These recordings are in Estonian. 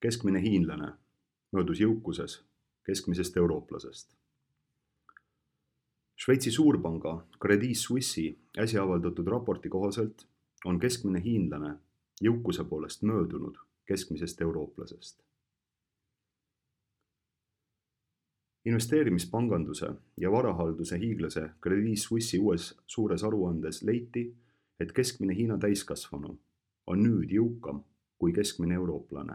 Keskmine hiinlane möödus jõukuses keskmisest eurooplasest. Šveitsi suurpanga Credit Suisse'i äsja avaldatud raporti kohaselt on keskmine hiinlane jõukuse poolest möödunud keskmisest eurooplasest. Investeerimispanganduse ja varahalduse hiiglase Credit Suisse'i uues suures aruandes leiti, et keskmine Hiina täiskasvanu on nüüd jõukam kui keskmine eurooplane.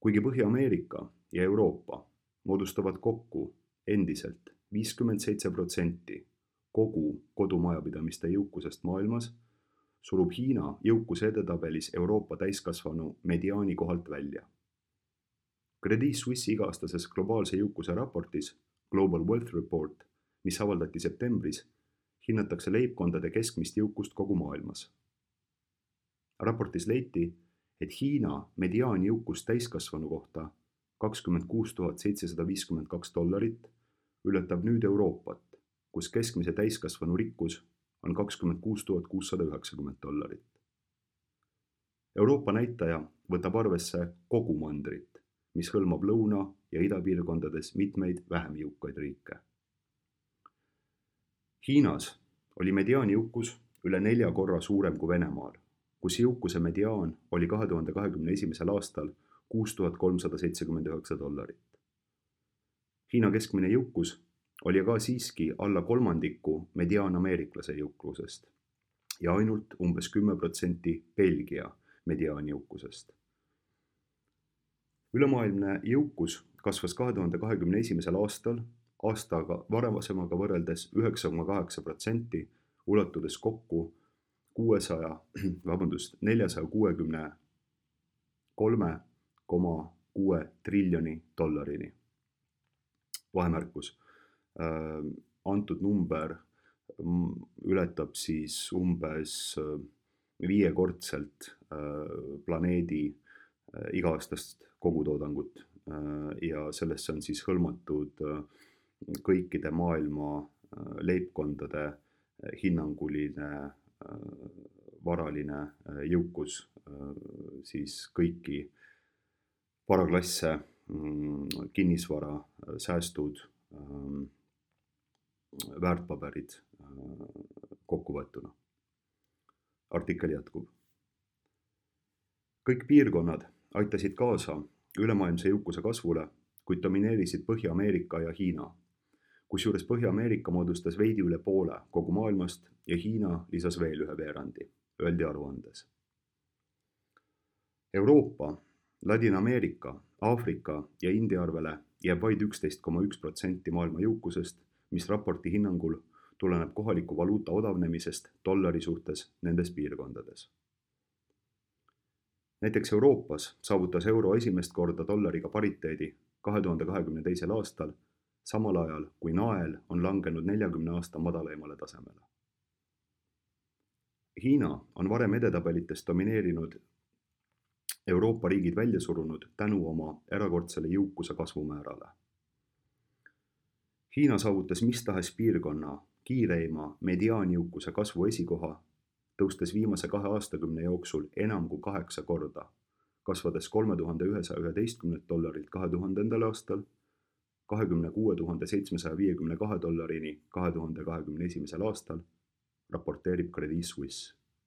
Kuigi Põhja-Ameerika ja Euroopa moodustavad kokku endiselt 57% kogu kodumajapidamiste jõukusest maailmas, surub Hiina jõukuse edetabelis Euroopa täiskasvanu mediaani kohalt välja. Credit Suisse iga-aastases globaalse jõukuse raportis Global Wealth Report, mis avaldati septembris, hinnatakse leibkondade keskmist jõukust kogu maailmas. Raportis leiti, et Hiina mediaanjõukus täiskasvanu kohta $26 752 ületab nüüd Euroopat, kus keskmise täiskasvanu rikkus on $26 690. Euroopa näitaja võtab arvesse kogu mandrit, mis hõlmab lõuna- ja idapiirkondades mitmeid vähem jõukaid riike. Hiinas oli mediaanjõukus üle 4 korra suurem kui Venemaal, kus jõukuse mediaan oli 2021. aastal $6379. Hiina keskmine jõukus oli aga siiski alla kolmandiku mediaanameeriklase jõukusest ja ainult umbes 10% Belgia mediaanjõukusest. Ülemaailmne jõukus kasvas 2021. aastal aastaga varasemaga võrreldes 9,8%, ulatudes kokku $463,6 triljoni. Vahemärkus. Antud number ületab siis umbes 5-kordselt planeedi iga-aastast kogutoodangut ja sellesse on siis hõlmatud kõikide maailma leibkondade hinnanguline varaline jõukus, siis kõiki varaklasse, kinnisvara, säästud, väärtpaberid kokkuvõetuna. Artikkel jätkub. Kõik piirkonnad aitasid kaasa ülemaailmse jõukuse kasvule, kuid domineerisid Põhja-Ameerika ja Hiina, kusjuures Põhja-Ameerika moodustas veidi üle poole kogu maailmast ja Hiina lisas veel ühe veerandi, öeldi aruandes. Euroopa, Ladina-Ameerika, Aafrika ja India arvele jääb vaid 11,1% maailma jõukusest, mis raporti hinnangul tuleneb kohaliku valuuta odavnemisest dollari suhtes nendes piirkondades. Näiteks Euroopas saavutas euro esimest korda dollariga pariteedi 2022. aastal, samal ajal kui nael on langenud 40 aasta madalaimale tasemele. Hiina on varem edetabelites domineerinud Euroopa riigid välja surunud tänu oma erakordsele jõukuse kasvumäärale. Hiina saavutas mis tahes piirkonna kiireima mediaanjõukuse kasvu esikoha, tõustes viimase 2 aastakümne jooksul enam kui 8 korda, kasvades $3111 2000. aastal, $26 752 2021. aastal, raporteerib Credit Suisse.